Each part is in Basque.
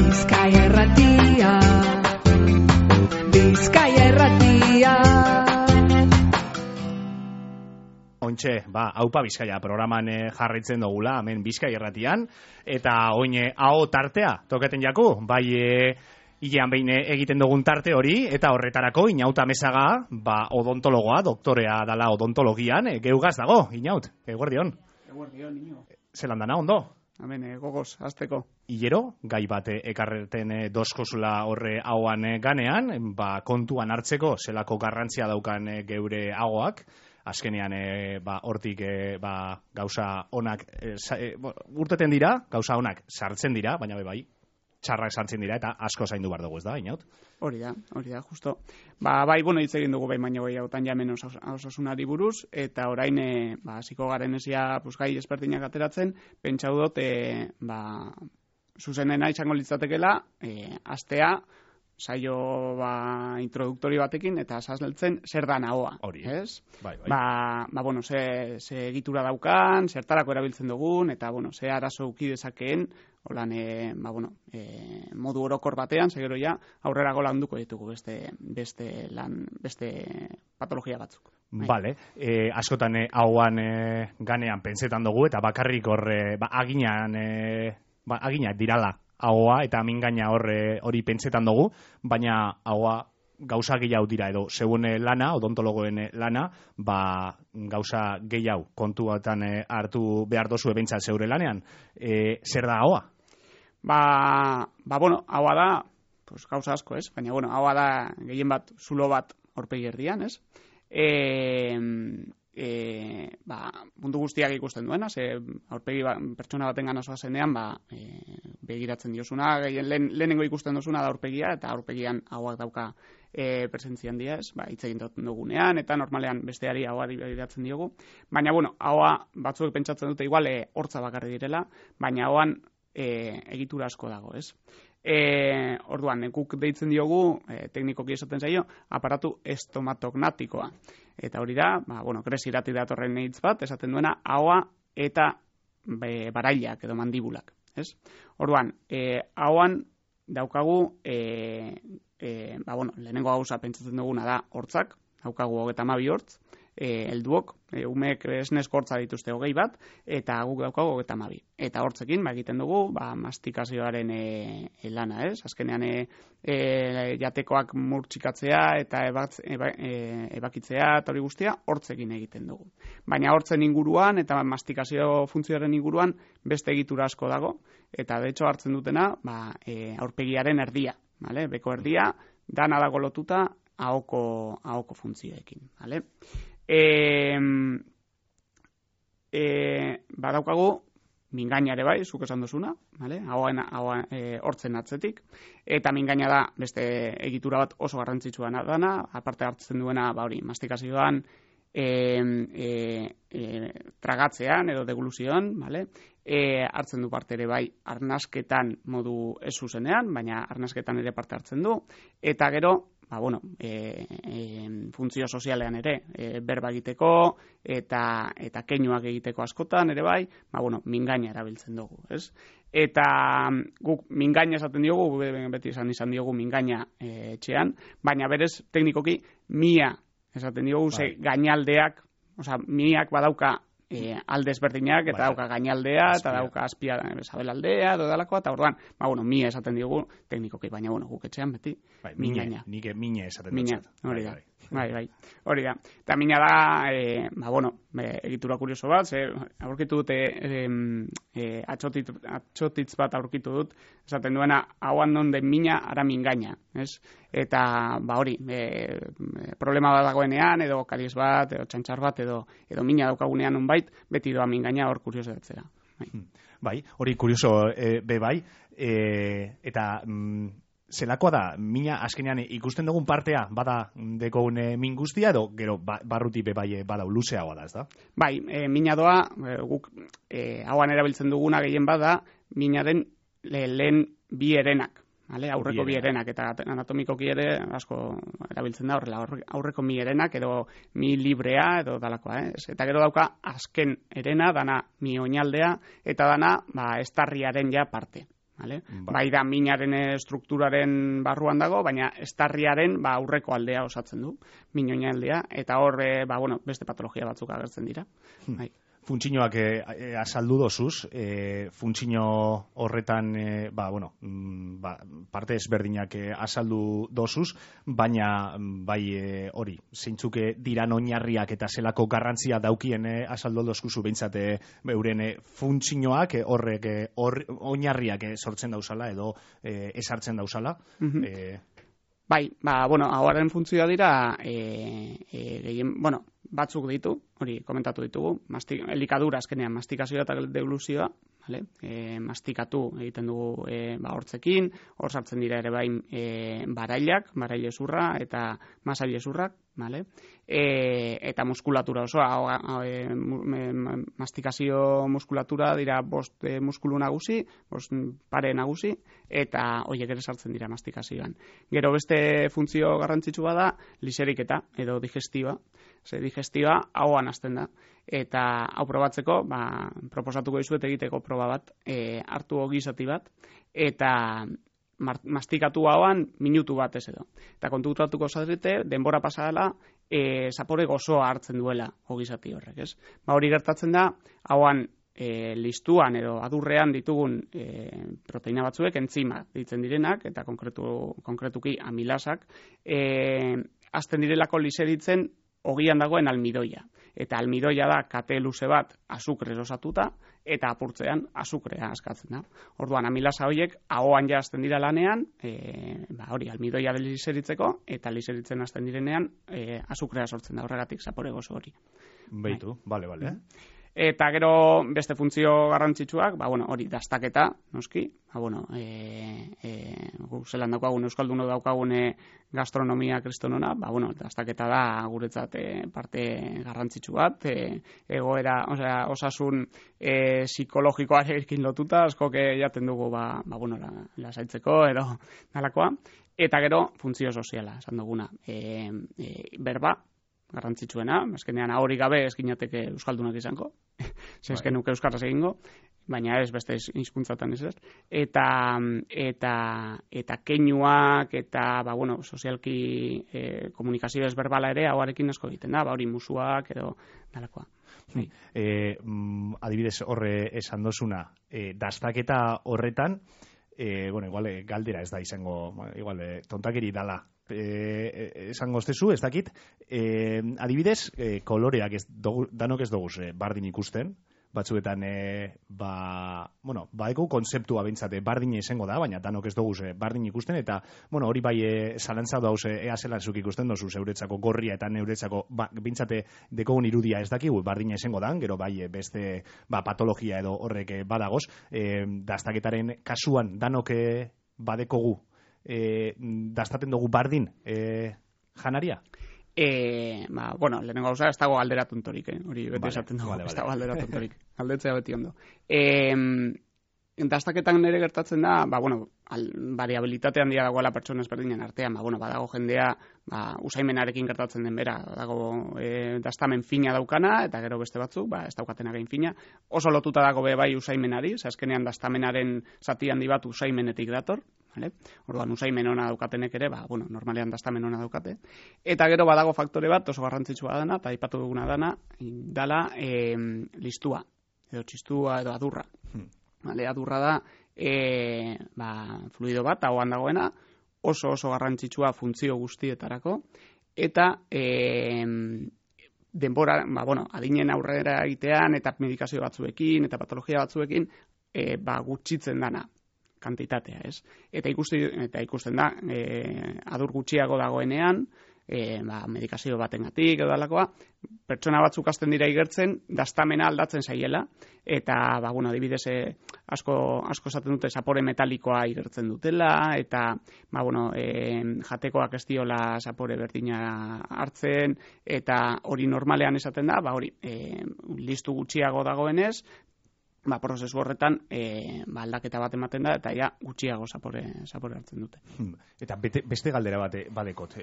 Bizkaia Irratia, Bizkaia Irratia. Ontxe, haupa Bizkaia programan jarraitzen dugula, hemen Bizkaia Irratian, eta oin hau tartea, toketen jaku, bai hilean behin egiten dugun tarte hori, eta horretarako Inauta Mesaga, odontologoa, doktorea dala odontologian, geugaz dago, Inaut, eguerdion. Eguerdion, Ino. Zelan dana, ondo? Hemen, gogoz, azteko. Hilero, gai bat ekarreten doskozula horre hauan ganean, kontuan hartzeko zelako garrantzia daukan geure hagoak, azkenean hortik gauza onak urteten dira, gauza onak sartzen dira, baina bai, txarrak sartzen dira, eta asko zaindu behar dugu, ez da, Inaut? Hori da, justo. Bai, hitz egin dugu baino hautan jamen osasunari buruz, eta orain, hasiko garen esia gai ezberdinak ateratzen, pentsau dut, zuzenena izango litzatekela, astea, saio introduktori batekin, eta azaltzen zer da nahoa. Hori, ez? Bai. Ze egitura daukan, zertarako erabiltzen dugun, eta, ze arazo uki dezakeen, holan, modu orokor batean, segero ja, aurrerago landuko ditugu beste patologia batzuk. Bale, askotan hauan ganean pentsetan dugu, eta bakarrik horre, aginak dirala haua, eta mingaina hori pentsetan dugu, baina haua gauza gehiago dira, edo segun lana, odontologoen lana, gauza gehiago kontuatan hartu behar dozu ebentzat zeure lanean. Zer da haua? Haua da, gauza asko, ez? Baina, haua da gehien bat, zulo bat aurpegi erdian, ez? Mundu guztiak ikusten duena, ze aurpegi pertsona baten gana zoazenean, begiratzen diosuna, lehenengo ikusten duzuna da aurpegia, eta aurpegian hauak dauka presentzia handia, ez? Hitz egin dugunean, eta normalean besteari haua begiratzen diogu. Baina, haua batzuek pentsatzen dute igual hortza bakarri direla, baina hauan egitura asko dago, ez? Orduan, guk deitzen diogu, teknikoki esaten zaio, aparatu estomatognatikoa. Eta hori da, gresirati datorren hitz bat, esaten duena, haua eta barailak edo mandibulak. Ez? Orduan, hauan daukagu, lehenengo gauza pentsatzen duguna da hortzak, daukagu 32 hortz, helduok, umeek esnesko hortza dituzte 20 bat, eta guk daukagu 32. Eta hortzekin, egiten dugu, mastikazioaren lana, ez? Azkenean, jatekoak murtsikatzea eta ebakitzea eta hori guztia hortzekin egiten dugu. Baina hortzen inguruan eta mastikazio funtzioaren inguruan beste egitura asko dago, eta de hecho hartzen dutena, aurpegiaren erdia, vale? Beko erdia, dana dago lotuta ahoko funtzioekin, vale? Badaukagu mingaina ere bai, zuk esan duzuna, vale? Hortzen atzetik, eta mingaina da beste egitura bat oso garrantzitsua dana, aparte hartzen duena, mastikazioan, tragatzean edo degluzioan, vale? Hartzen du parte ere bai arnasketan modu ez zuzenean, baina arnasketan ere parte hartzen du, eta gero, funtzio sozialean ere, berba egiteko eta keinuak egiteko askotan ere bai, mingaina erabiltzen dugu, ez? Eta guk mingaina esaten diogu, beti izan diogu mingaina etxean, baina berez teknikoki mia esaten diogu, ze gainaldeak, miak badauka alde ezberdinak, eta dauka gainaldea, eta dauka azpia sabelaldea, dodalakoa, eta orduan, mia esaten diogu teknikoki, baina guk etxean beti mingaina. Nik mine esaten dut. Mina, hori da. Hori da. Eta mina da, egitura kurioso bat, aurkitu dute, atxotitz bat aurkitu dut, esaten duena, hauan donde mina ara mingaina, ez? Eta, hori, problema bat dagoenean, edo kariez bat, edo txantxar bat, edo mina daukagunean unbait, beti doa mingaina hor kurioso datzera. Bai, hori kurioso be bai, eta zelakoa da, mina azkenean ikusten dugun partea, bada dekogun min guztia, edo gero barruti be bai badau luzeagoa da, ez da? Bai, mina doa, guk hauan erabiltzen duguna gehien bada, minaren lehen bi herenak. Aurreko bi herenak, eta anatomikoki ere asko erabiltzen da horrela, aurreko mi herenak edo mi librea edo dalakoa, eta gero dauka azken herena, dana mi oinaldea, eta dana estarriaren ja parte. Vale? Bai da minaren strukturaren barruan dago, baina estarriaren aurreko aldea osatzen du, min oinaldea, eta hor beste patologia batzuk agertzen dira. Bai. Funtzioak azaldu dozuz, funtzio horretan parte ezberdinak azaldu dozuz, baina bai hori, zeintzuk diran oinarriak eta zelako garrantzia daukien azaldu dozkuzu behintzat euren funtzioak horrek oinarriak sortzen dauzala edo esartzen dauzala. Bai, hauaren funtzioa dira batzuk ditu, hori komentatu ditugu, elikadura azkenean mastikazioa eta deglusioa, vale? Mastikatu egiten dugu hortzekin, hor sartzen dira ere bain barailak, baraile zurra eta masaile zurrak, vale? Eta muskulatura osoa, mastikazio muskulatura dira 5 muskulu nagusi, 5 pare nagusi, eta horiek ere sartzen dira mastikazioan. Gero beste funtzio garrantzitsua da liseriketa edo digestiba. Digestiba hauan hasten da. Eta hau probatzeko, proposatuko dizuet egiteko proba bat, hartu ogi zati bat, eta mastikatu hauan minutu bat ez edo. Eta kontutatuko zarete, denbora pasadala, zapore gozoa hartzen duela ogi zati horrek, ez? Hori gertatzen da, hauan listuan edo adurrean ditugun proteina batzuek, entzima ditzen direnak, eta konkretuki amilasak, hasten direlako liseritzen ogian dagoen almidoia. Eta almidoia da kate luze bat azukrez osatuta eta apurtzean azukrea askatzen da. Orduan amilasa horiek ahoan ja hasten dira lanean, hori almidoia liseritzeko eta liseritzen hasten direnean azukrea sortzen da, horregatik zapore gozo hori. Beitu, bale. Eta gero beste funtzio garrantzitsuak, hori dastaketa, noski, zelan daukagun Euskalduno daukagun gastronomia kristonona, dastaketa da guretzat parte garrantzitsu bat, egoera, osasun psikologikoarekin lotuta, askok jaten dugu, lasaitzeko, edo nalakoa, eta gero funtzio soziala, esan duguna, berba, garrantzitsuena, azkenean hori gabe eskinateke euskaldunak izango, zezken nuke euskaraz egingo, baina ez beste hizkuntzatan ez. Eta keinuak eta sozialki komunikazio ezberbala ere hauarekin asko egiten da, hori musuak edo dalakoa. Adibidez horre esan dozuna, dastaketa horretan, igual galdera ez da izango, igual tontakeri dala, esango estezu, ez dakit, adibidez, koloreak danok ez dugu bardin ikusten, batzuetan, eko konzeptua bintzate bardin izango da, baina danok ez dugu bardin ikusten, eta, hori bai zalantza dauz, ea zelantzuk ikusten dozu, euretzako gorria eta neuretzako, bintzate dekogun irudia ez dakigu, bardin izango da, gero bai beste patologia edo horrek badagoz, dastaketaren kasuan danok badekogu, dastaten dugu bardin janaria? Lehenengo gauza, ez dago alderatuntorik, hori beti esaten dugu, ez dago alderatuntorik, aldetzea beti ondo. Dastaketan nire gertatzen da, variabilitate handia dagoela pertsona ezberdinen artean, badago jendea, usaimenarekin gertatzen den bera, dago dastamen fina daukana, eta gero beste batzuk, ez daukatena gain fina, oso lotuta dago bai usaimenari, azkenean dastamenaren zati handi bat usaimenetik dator, orduan usaimen ona daukatenek ere, normalean dastamen ona daukate. Eta gero badago faktore bat, oso garrantzitsua dana, eta aipatu duguna dala listua, edo txistua, edo adurra. Adurra da, fluido bat, ahoan dagoena, oso garrantzitsua funtzio guztietarako, eta denbora, adinen aurrera egitean, eta medikazio batzuekin, eta patologia batzuekin, gutxitzen dana kantitatea, ez? Eta ikusten da, adur gutxiago dagoenean, medikazio batengatik edo dalakoa, pertsona batzuk hasten dira igertzen, dastamena aldatzen zaiela, eta, adibidez, asko esaten dute zapore metalikoa igertzen dutela, eta, jatekoak ez diola zapore berdina hartzen, eta hori normalean esaten da, hori, listu gutxiago dagoenez, prozesu horretan aldaketa bat ematen da, eta gutxiago zapore hartzen dute. Eta beste galdera bat badekot.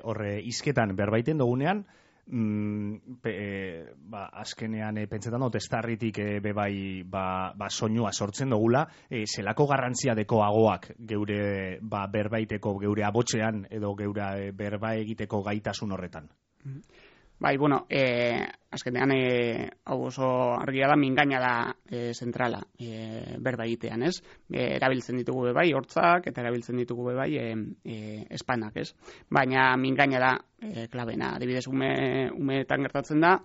Horre, hizketan berbaiten dugunean, azkenean pentsetan dut estarritik bebai soinua sortzen dugula, zelako garrantzia deko agoak geure berbaiteko, geure abotxean edo geure berba egiteko gaitasun horretan? Bai, bueno, azkenean hau oso argia da, mingaina da zentrala berba egitean, ez? Erabiltzen ditugu bebai hortzak eta erabiltzen ditugu bebai espanak, ez? Baina mingaina da klabena. Adibidez, umeetan gertatzen da,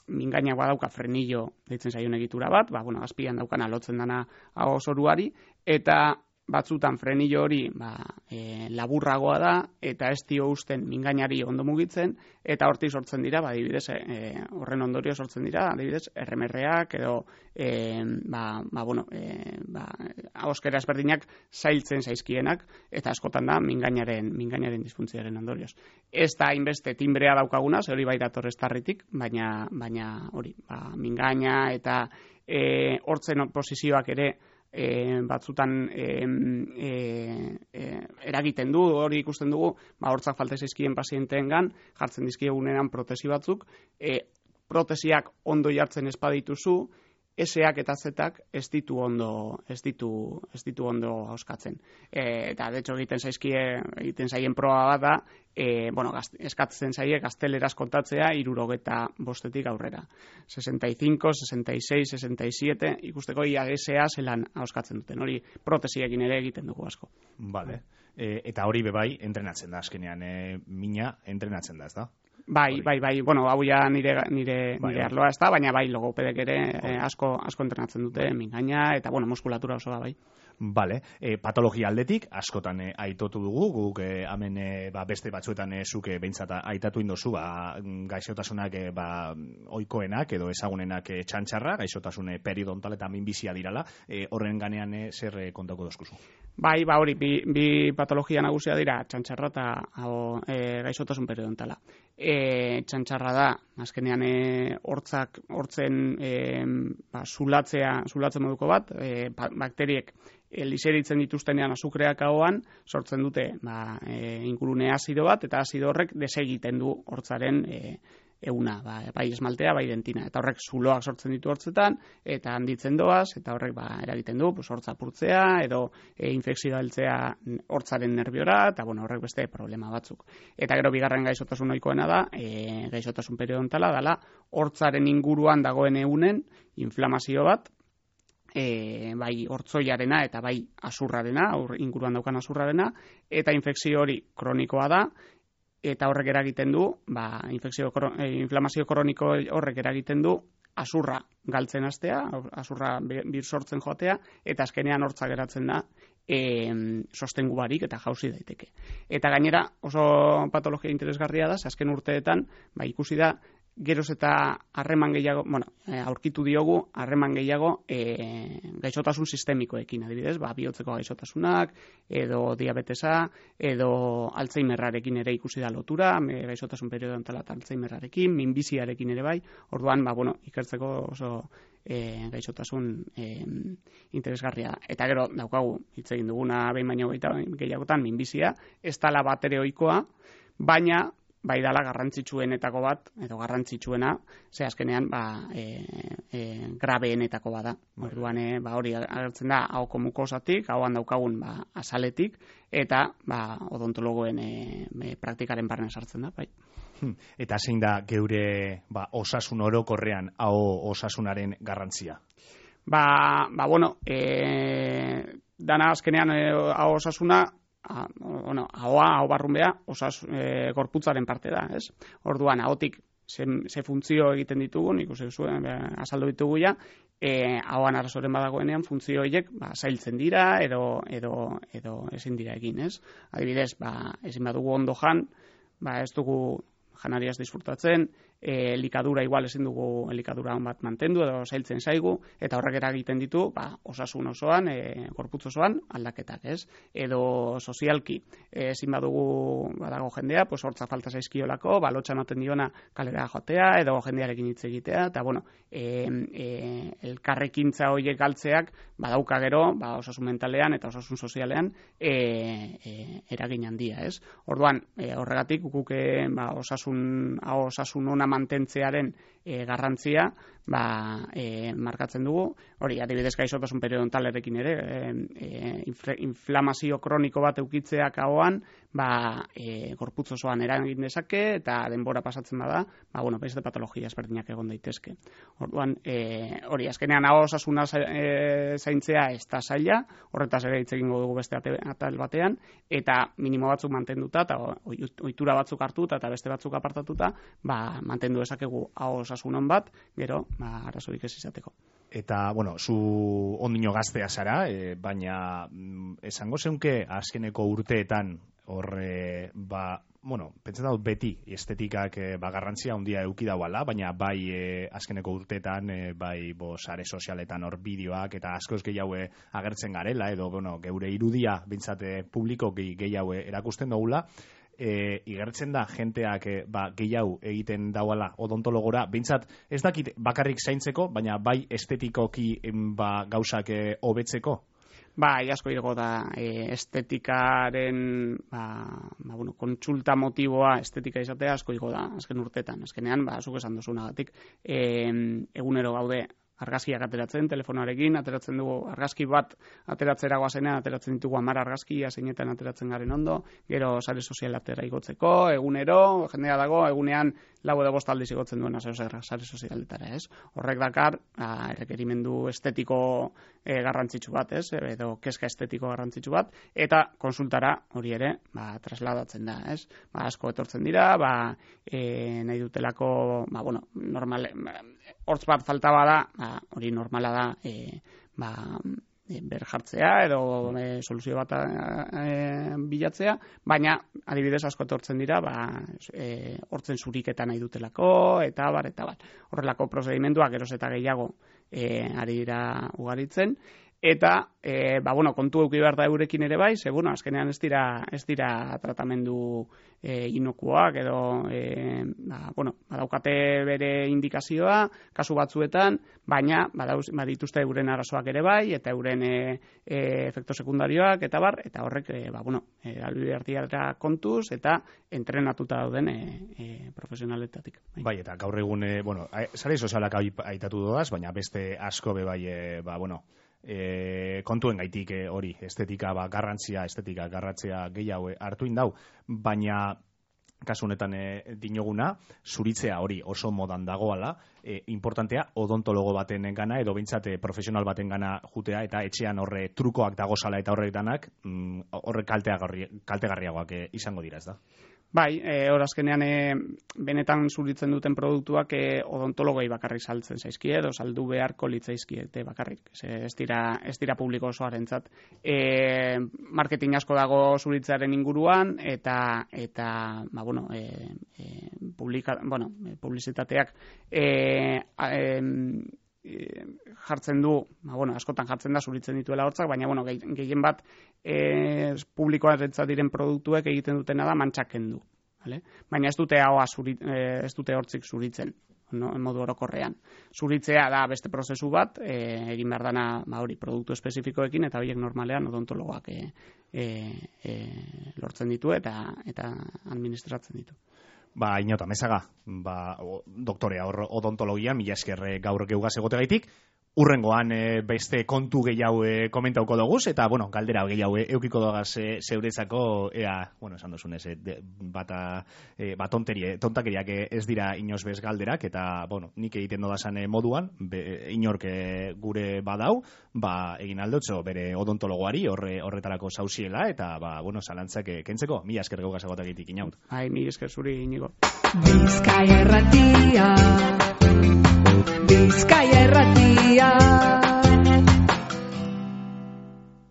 mingaina badauka frenillo deitzen zaion egitura bat, azpian daukana lotzen dana hau zoruari, eta batzutan frenillo hori laburragoa da eta ez dio usten mingainari ondo mugitzen eta hortik sortzen dira, adibidez, horren ondorio sortzen dira, adibidez, erremerreak edo ahoskera ezberdinak zailtzen zaizkienak eta askotan da mingainaren disfuntzioaren ondorioz. Ez da hainbeste timbrea daukaguna, ze hori bai dator estarritik, baina hori, mingaina eta hortzen posizioak ere batzutan eragiten du, hori ikusten dugu, hortzak falta zaizkien pazienteengan jartzen dizkiegunean protesi batzuk, protesiak ondo jartzen ez badituzu, S-ak eta Z-ak ez ditu ondo hauskatzen. Eta, de hecho, egiten zaien proba bat da, eskatzen zaie gazteleraz kontatzea 65 aurrera. 65, 66, 67, ikusteko ia S-a zelan hauskatzen duten. Hori protesiekin ere egiten dugu asko. Vale. Eta hori bebai entrenatzen da, azkenean mina entrenatzen da, ez da? Bai, bueno, hau ja nire arloa ez da, baina bai, logopedek ere asko entrenatzen dute mingaina, eta bueno, muskulatura oso da, bai. Bale, patologia aldetik, askotan aitotu dugu, guk hemen beste batzuetan zuke behintzat aitatu indozu, gaixotasunak oikoenak edo ezagunenak txantxarra, gaixotasun periodontal eta minbizia dirala, horren ganean zer kontako dozkuzu? Bai, hori, bi patologia nagusia dira, txantxarra eta gaixotasun periodontala. Txantxarra da, azkenean hortzen zulatzen moduko bat, bakteriek liseritzen dituztenean azukreak ahoan, sortzen dute ingurune azido bat, eta azido horrek desegiten du hortzaren euna, bai esmaltea, bai dentina. Eta horrek zuloak sortzen ditu hortzetan, eta handitzen doaz, eta horrek eragiten du, hortza purtzea, edo infekzioa heltzea hortzaren nerviora, eta horrek beste problema batzuk. Eta gero bigarren gaixotasun ohikoena da, gaixotasun periodontala, dala hortzaren inguruan dagoen eunen inflamazio bat, bai hortzoiarena eta bai azurrarena, inguruan daukan azurrarena, eta infekzio hori kronikoa da, eta horrek eragiten du, inflamazio kroniko horrek eragiten du, azurra galtzen hastea, azurra bir sortzen joatea, eta azkenean hortza geratzen da sostengu barik eta jauzi daiteke. Eta gainera oso patologia interesgarria da, azken urteetan ikusi da, geroz eta harreman gehiago, aurkitu diogu harreman gehiago gaixotasun sistemikoekin, adibidez, bihotzeko gaixotasunak, edo diabetesa, edo Alzheimerrarekin ere ikusi da lotura, gaixotasun periodontala eta Alzheimerrarekin, minbiziarekin ere bai, orduan, ikertzeko oso gaixotasun interesgarria da. Eta gero, daukagu, hitz egin duguna behin baino gehiagotan, minbizia, ez dala bat ere ohikoa, baina bai dala garrantzitsuenetako bat, edo garrantzitsuena, ze azkenean grabeenetako bada. Orduan, hori agertzen da, ahoko mukosatik, ahoan daukagun azaletik, eta odontologoen praktikaren barne sartzen da, bai. Eta zein da geure osasun orokorrean aho osasunaren garrantzia? Dana azkenean aho osasuna, ahoa, barrunbea, gorputzaren parte da, ez? Orduan, ahotik ze funtzio egiten ditugun, ikusi zuen, azaldu ditugu ja, ahoan arazoren badagoenean, funtzio horiek zailtzen dira, edo ezin dira egin, ez? Adibidez, ezin badugu ondo jan, ez dugu janariaz disfrutatzen, elikadura igual ezin dugu elikadura on bat mantendu edo zailtzen zaigu, eta horrek eragiten ditu osasun osoan, gorputz osoan aldaketak, ez? Edo sozialki, ezin badago jendea, pues hortza falta zaizkiolako, lotxa ematen diona kalera joatea, edo jendearekin hitz egitea, eta bueno, elkarrekintza horiek galtzeak badauka gero, osasun mentalean eta osasun sozialean eragin handia, ez? Orduan, horregatik guk osasun ona mantentzearen garrantzia markatzen dugu. Hori, adibidez gaixotasun periodontalarekin ere, inflamazio kroniko bat eukitzeak ahoan, gorputz osoan eragin dezake, eta denbora pasatzen bada, beste patologia ezberdinak egon daitezke. Orduan, hori, azkenean aho osasuna zaintzea ez da zaila, horretaz ere hitz egingo dugu beste atal batean, eta minimo batzuk mantenduta, eta ohitura batzuk hartuta, eta beste batzuk apartatuta, mantendu dezakegu aho osasunon bat, gero, arazorik ez izateko. Eta, bueno, zu ondino gaztea zara, baina esango zeunke azkeneko urteetan horre, pentsatzen dut beti estetikak garrantzia handia eduki dauala, baina bai azkeneko urteetan, sare sozialetan hor bideoak eta askoz gehiago agertzen garela, edo geure irudia bintzate publiko gehiago erakusten dugula, igertzen da jenteak gehiago egiten dauala odontologora, bintzat ez dakit bakarrik zaintzeko, baina bai estetikoki gauzak hobetzeko? Asko igo da estetikaren kontsulta motiboa estetika izatea asko igo da azken urtetan. Azkenean, zuk esan duzunagatik, egunero gaude argazkiak ateratzen, telefonoarekin, ateratzen dugu argazki bat ateratzera goazenean, ateratzen ditugu 10 argazkia zeinetan ateratzen garen ondo, gero sare sozialetara igotzeko, egunero, jendea dago, egunean 4 edo 5 aldiz igotzen duena sare sozialetara, ez? Horrek dakar, errekerimendu estetiko garrantzitsu bat, ez? Edo kezka estetiko garrantzitsu bat, eta konsultara hori ere, trasladatzen da, ez? Asko etortzen dira, nahi dutelako, normal, hortz bat falta bada, hori normala da, berjartzea edo soluzio bat bilatzea, baina adibidez asko etortzen dira hortzen zuriketa nahi dutelako, eta bar. Horrelako prozedimenduak geroz eta gehiago ari dira ugaritzen, eta kontu eduki behar da eurekin ere bai, azkenean ez dira tratamendu inokuak edo badaukate bere indikazioa kasu batzuetan, baina badituzte euren arazoak ere bai, eta euren efekto sekundarioak eta bar, eta horrek albidertiara kontuz eta entrenatuta dauden profesionaletatik. Bai, eta gaur egun, sare sozialak aitatu doaz, baina beste asko bai, kontuen gaitik hori, estetika garrantzia gehiago hartu indau, baina kasu honetan dinoguna, zuritzea hori oso modan dagoala, importantea odontologo baten gana, edo bintzate profesional baten gana jutea, eta etxean horre trukoak dagozala eta horrek danak, horrek kaltegarriagoak izango dira, ez da? Bai, hor azkenean benetan zuritzen duten produktuak odontologoi bakarrik saltzen zaizkie, edo saldu beharko litzaizkiete bakarrik. Ez dira publiko osoarentzat. Marketing asko dago zuritzearen inguruan, eta publizitateak jartzen du, askotan jartzen da zuritzen dituela hortzak, baina gehien bat publikoarentzat diren produktuek egiten dutena da mantxak kendu. Baina ez dute hortzik zuritzen, modu orokorrean. Zuritzea da beste prozesu bat, egin behar dana produktu espezifikoekin, eta horiek normalean odontologoak lortzen ditu eta administratzen ditu. Inota, mesaga, doktorea odontologia, mila esker gaur geugaz egotegaitik, urrengoan beste kontu gehiago komentauko doguz, eta, galdera gehiago eukiko dogaz zeurezako, esan dozunez, tontakeriak ez dira inoz bez galderak, eta, nik egiten dodazan moduan, inork gure badau, egin aldotxo bere odontologoari horretarako zauziela, eta, zalantzak kentzeko, mila esker geugaz egotegitik inaut. Mila esker zuri inigo. Bizkaia Erratia